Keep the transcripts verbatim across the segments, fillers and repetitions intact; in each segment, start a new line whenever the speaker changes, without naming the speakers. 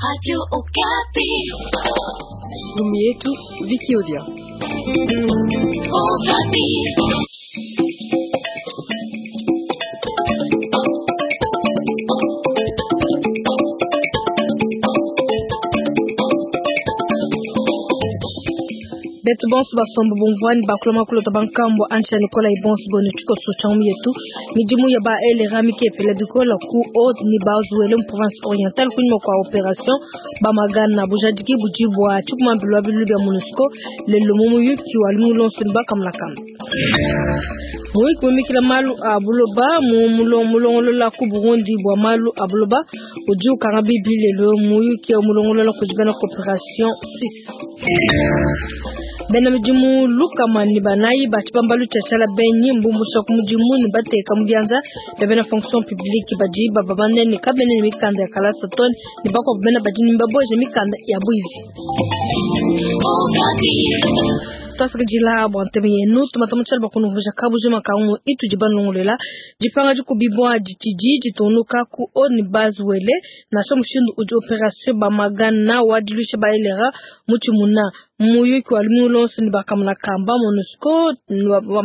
Radio Okapi.
Ndumu yetu Viki Odia.
Okapi.
Betu bonso basomba bumvuani bakuloma kulota bankambo ancha Nicola ibonso bonu tshikoso tshamu yetu midimu ya ba elera mikepela dikola ku haute ni bazuele mu province orientale kunyuma kwa opération bamagana bujadiki budi bua tshikumambilwa bilu bya MONUSCO lelo mu muyuki wa lumulonso ni bakamulakamba muyuki mumikila malu a buloba mu mulongolola ku Burundi bua malu a buloba udi ukanga bibi lelo muyuki mulongolola kudi bena coopération suisse bena midimu lukama ni banayi batshibambalu tshiatshala benyi mbumbusha ku mudimu ni bateka mu bianza bia bena fonction publique badi baba banene kabene ni mikanda ya kalasa tone ni bakuabu bena badi ni baboje mikanda ya bwizi twasakidila bua ntebe yenu tumata mutshali bakunuvuja kabujima kangu itudi banongolela dipanga dikubibua ditidi ditunuka ku oni bazuele nansha mushindu udi opération bamagana wa diluisha baelera mutshimuna muyuki wa lumingu lonso ni bakamuna kamba MONUSCO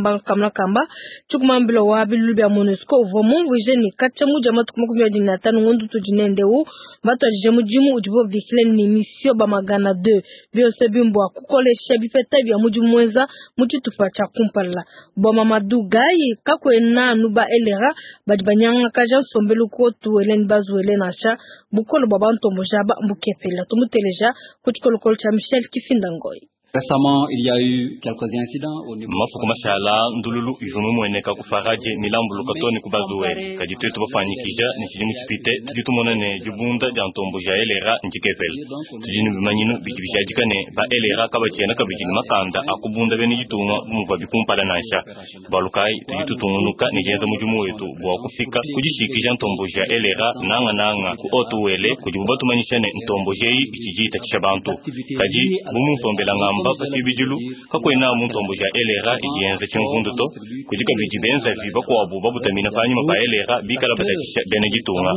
bakamuna kamba tshikumambila wa bilulu bia MONUSCO uvua mumvuije ni katshia mudia matuku makumi abidi na atanu ngondu tudi nendeu batuadije mudimu udibo babikile ni mission bamagana deux bionso bimbua kukolesha bipeta bia mudimu mwenza mutshitupa tshia kumpala bua Mamadou Gaye kakuena anu ba elera badi banyangakaja nsombelu kotu eleni bazuele nansha bukolo bua bantomboja ba mbukepela tumuteleja ku tshikolokolo tshia Michel Kifinda Ngoyi.
Récemment, il y a eu quelques incidents au niveau
mafuku mashala ndululu ivumu mueneka kufaraje milambuluka toni kubazuele kadi twetu bafanyikija ni tshidimu tshipite tudi tumona ne dibunda dia ntombo ja elera ndikepela tudi ne bimanyinu bidi bijadika ne ba elera kabatshiena kabidi ne makanda akubunda bene ditunga bumuvua bikumpala nansha balukayi tudi tutungunuka ne dienza mudimu wetu bua kufika kudishikija ntombo ja elera nanga nanga ku otuwele kudibu batumanyisha ne ntombo jeyi itshidi itatshisha bantu kadi bumunsombela ngamba pasibidilu kakwena muntombo ja elera idienza tshimvundu to kudi kabidi benzavi bakuabu babutamina panyima pa elera bikala batatshisha bene ditunga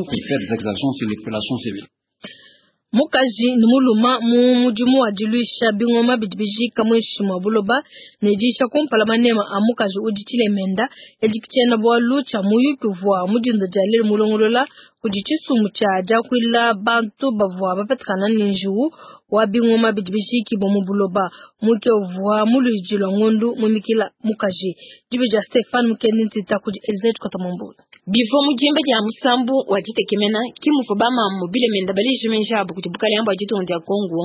mukaji ni muluma mu mudimu wa diluisha bingoma bidi bijika muinshi mua buloba ne diisha kumpala manema a mukaji udi tshilemenda edi tshiena bualu tshia muyuki uvua mudinda dia lelu mulongolola kudi tshisumbu tshia diakuila bantu bavua bapetekana ne njiwu wa bingoma bidi bijikibua mu buloba muke uvua muluidi lua ngondu mumikila mukaji dibi dia Stefan Mukendi ntita kudi Elizabeth Kotamambula
bivua mudimba dia musambu wa ditekemena kimuvua bamamu bilemenda baleje abu kudi bukalenge bua ditunga dia Kongo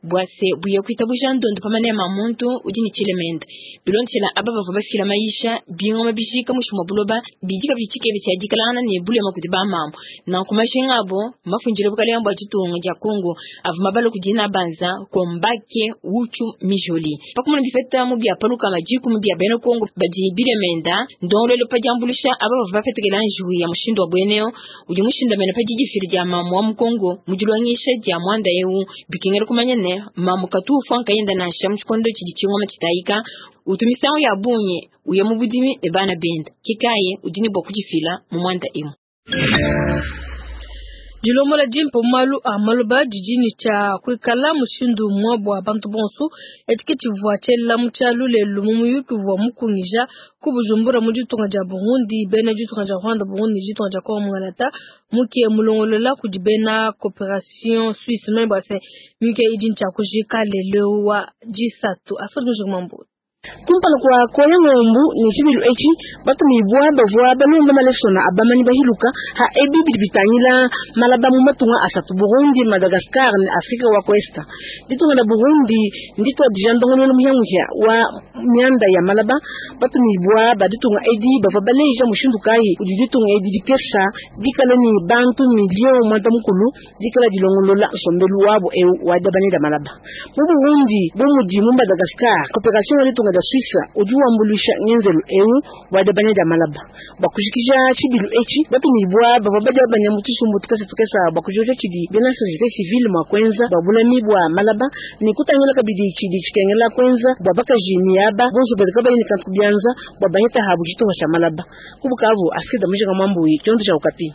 bua se buye kuitabuja ndondo pa manema a muntu udi ne tshilemenda bilondeshela aba bavua bafila mayisha bingoma bijika muinshi mua buloba bidi kabidi tshikebe tshia dikalangana ne bulema kudi bamamu nanku majinga abo mafundile bukalenge bua ditunga dia Kongo avua mabala kudi nabanza kombake uchu mijoli pakumuna bifeta mu bia paluka majiku mu bia bena Kongo badi bilemenda ndongolelo pa diambulusha aba bavua bapetekela njiwu ya mushindu wa bweneo udi mushindamene pa didifili dia mamu wa mu Kongo mudilwangisha dia mwanda eu bikengela kumanya ne mamu katu ufanka yenda nansha mu tshikondo tshidi tshingoma tshitayika utumisango ya bungi uya mu budimi ne bana benda kikaye udi ne bua kudifila mu mwanda emu.
Dilomola dimpe malu a maloba didi ne tshia kuikala mushindu umue bua bantu bonso etiki tshivua tshiela mu tshialu lelu mu muyuki uvua mukungija ku Bujumbura mu ditunga dia Burundi bena ditunga dia Rwanda Burundi ditunga dia Kongo Mungalata muke mulongolola kudi bena coopération suisse membre bua se muyuki idi ne tshia kujika lelu wa disatu asadi mujimambu
kumpala kwa koya ngombu ni tshibilu etshi batumibua bavua balonda malesona abamanyi bahiluka ha ebi bidi bitangila malaba mu matunga asatu Burundi, Madagascar ne Afrika wa Costa. Ditunga la Burundi ndituadija ndongoluelu muhiamuhia wa mianda ya malaba batumibua ba ditunga edi bavua baleja mushindu kayi udi ditunga edi dikesha dikala ni bantu milio mwanda mukulu dikala dilongolola nsombelu wabo eu wa diabanya dia malaba mu Burundi bu mudi mu Madagascar coopération ya ditunga da Suisse udi wambulisha ngenzelu eu wa diabanya dia malaba bakujikija tshibilu etshi batumibua bavua badiabanya mu tshisumbu tukese tukesa bakujoja tshidi bena société civile mua kuenza babulami bua malaba ne kutangila kabidi tshidi tshikengela kuenza bua bakaji ni aba bonso badi kabayi ne kantu kubianza bua baheta habu tshitunga tshia malaba kubukavu asida mujika mwambuyi tshiondo tshia ukapi.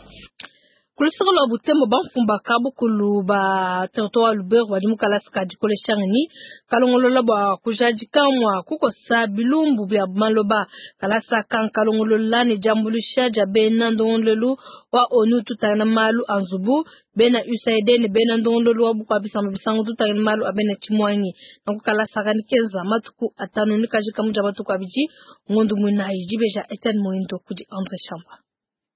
Kulusaka lwa Butembo bamfumba kabukulu ba territoire Lubero badi mu kalasa ka dikolesha ngenyi kalongolola bua kujadika mua kukosa bilumbu bia maloba. Kalasa ka kalongolola ne diambuluisha dia bena ndongololu wa ONU tutangila malu a nzubu, bena U S A I D ne bena ndongololu wa bukua bisamba bisangu tutangila malu a bena tshimuangi. Nanku kalasa ka nikenza matuku atanu ne kajika muja matuku abidi ngondu muinayi dibeja Etienne Moindo kudi André Chamba.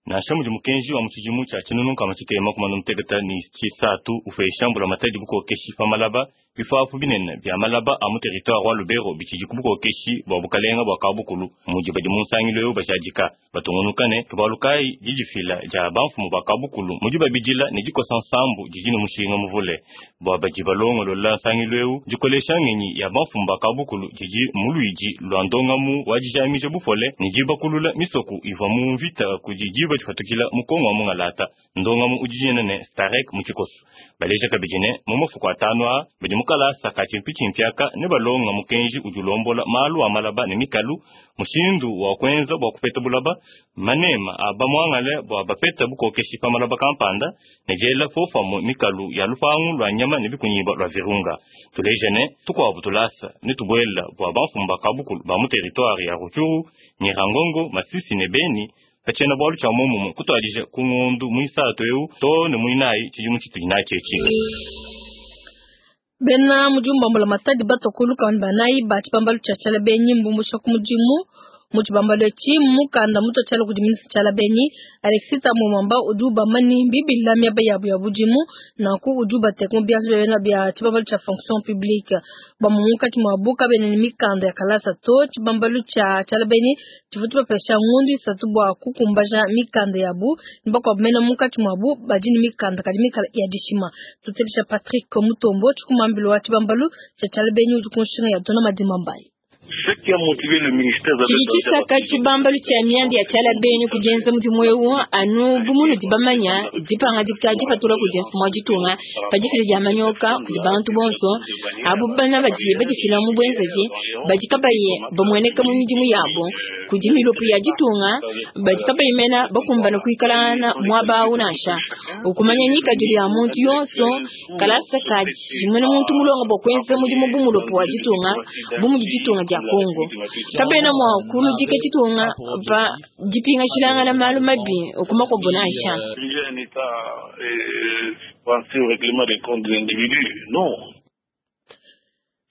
Nansha mudi mukenji wa mutshidimu tshia tshinunu nkama tshitema kumana muteketa ni tshisatu ufeshambula matadi bukokeshi pa malaba bifafu binene bia malaba a mu territoire wa Lubero bitshidi ku bukokeshi bua bukalenga bua kabukulu mudi badi mu nsangilo eu bashadika batungunukane tubalukayi didifila dia bamfumu ba kabukulu mudi babidila ne dikosa nsambu didi ne mushinga muvule bua badi balongolola nsangilo eu dikolesha ngenyi ya bamfumu ba kabukulu didi muluidi lua ndongamu wa dijamija bupole ne dibakulula misoku ivua mu mvita kudi diba difatukila mukongo wa mungalata ndongamu udijene ne Starek mu tshikoso baleja kabidi ne mu mafuku atanu a badi mukalasa ka tshimpitshimpiaka ne balonga mukenji udi ulombola malu a malaba ne mikalu mushindu wa kuenza bua kupeta bulaba manema a bamuangale bua bapeta bukokeshi pa malaba kampanda ne diela fofamu mikalu ya lupangu lua nyama ne bikunyiba lua virunga tuleja ne tukuabu tulasa ne tubuela bua bamfumu ba kabukulu ba mu territoire ya Rutshuru Nyirangongo Masisi ne Beni pachena bwalu cha momumu kutwadije ku ngondu muisatu eu to ne muinayi tshidimu tshitudi natshetshi.
Bena mujumba mbula matadi batokulu kambanayi ba tshibambalu tshia tshala benyi mbumbusha ku mudimu mu tshibambalu etshi mukanda mutu tshala kudi ministre tshala benyi Alexis Tamomamba udi ubamani bibila miaba yabu ya budimu nanku udi ubateka mu bianza bia bia tshibambalu tshia fonction publique bamunkatshi mwa buka bene ni mikanda ya kalasa to tshibambalu tshia tshala benyi tshivua tshibapesha ngundu isatu bua kukumbaja mikanda yabu nibakwa mena munkatshi mwabu badi ni mikanda kadi mikala ya dishima. Tutelisha Patrick Mutombo tshikumambilo wa tshibambalu tshia tshala benyi udi kunshinga ya dona madima mbayi.
Tshidi tshibambalu tshia mianda ya tshala benyi kujenza mudimu eu anu bumunu dibamanya dipanga dikadi patula kudi mfumu wa ditunga padifila dia manyoka kudi bantu bonso abu bana badi badifila mu bwenzaji badi kabaye bamueneka mu midimu yabo kudi milopo ya ditunga badi kabaye mena bakumbana kuikalana mwaba awu nansha ukumanya nyikadilu ya muntu yonso kalasa kaji mwene muntu mulongo bwa kwenza mudimu bumulopo wa ditunga bumudi ditunga dia Kongo kabena mwa kuludika ditunga pa dipinga shilanga na malu mabi okumako bonasha.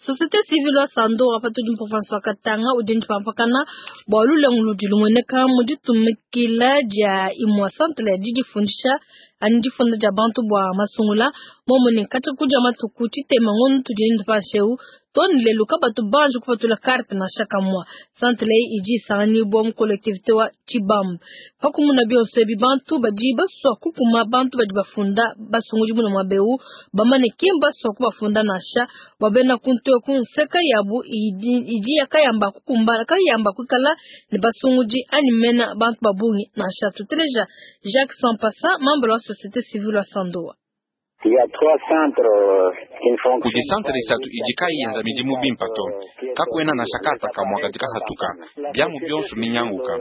Société civile wa Sando wapatu di province wa Katanga udini pampakana bwa lulengu dilumweneka mu ditumikila dia imwa centre ya didifundisha ani difunda dia bantu bwa masungula momone kati kuja matuku tshitema ngono tudini pansheu toni lelu kabatu banji kupatula carte na shaka mwa centre idi sani bwa mu collectivité wa Tshibambe pakumuna bionso ebi bantu badi baswa kukuma bantu badi bafunda basunguli muna mwabeu bamane kimba baswa kubafunda nasha babena kuntu kunseka yabu idi, idi yakayamba kukumba kayamba kukala ne basungudi ani mena bantu babungi nasha. Tuteleja Jacques Sampassa membre wa société civile wa Sandoa.
Kudi santre isatu idi kayiyenza midimu bimpa to kakuena na shakata kamwa katika hatuka byamu byonso minyanguka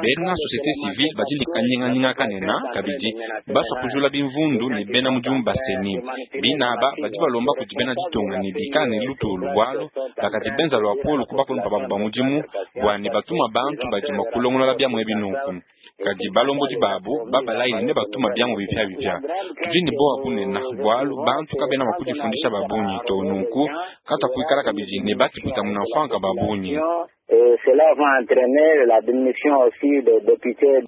bena société civile badi likanyinganyinga kanena kabidi baswa kujula bimvundu ne bena mudimu baseni binaba badi balomba kudi bena ditunga ne bikala ne lutulu bwalo bakadi benza lwa polo kubakulumpa babu ba mudimu bua ne batuma bantu badi mua kulongolola byamu ebinuku kadi balombodi babu babalaini ne batuma byamu bipya bipya tudi ne bowa bunena bwalu bantu kabena makudifundisha babunyi to nunku kata kuikala kabidi ne batikuta munafanka babunyi.
Cela va entraîner la diminution aussi des députés.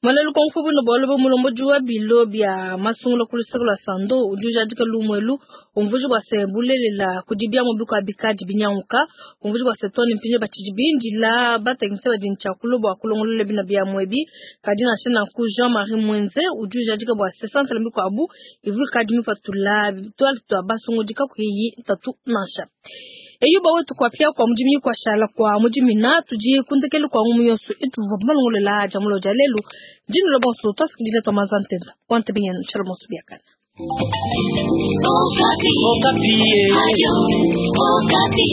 Mwalelu konfubu no bwalo bo mulombo juwa bilo bya masungulo kulusaka lwa Sando udi ujadika lumwelu umvuji bwa se bulelela kudibya mu biko abikaji binyanguka umvuji bwa se toni mpinje bachijibindi la batengise badi nchakulo bwa kulongolole bina bya mwebi kadi na shena ku Jean-Marie Mwenze udi ujadika bwa se centre mbiko abu ivu kadi mipatula twali twa basungu dika kuyi tatu nasha. Eyo bawe tukwapia kwa mujimi kwa shala kwa mujimi na tuji kundekelu kwa ngumu yonso itu malongolela jamulo jalelu jinu lo bonso twasikidile twa mazantenda wante binyen chalo monso biakana.
Okapi. Okapi. Ayo, Okapi.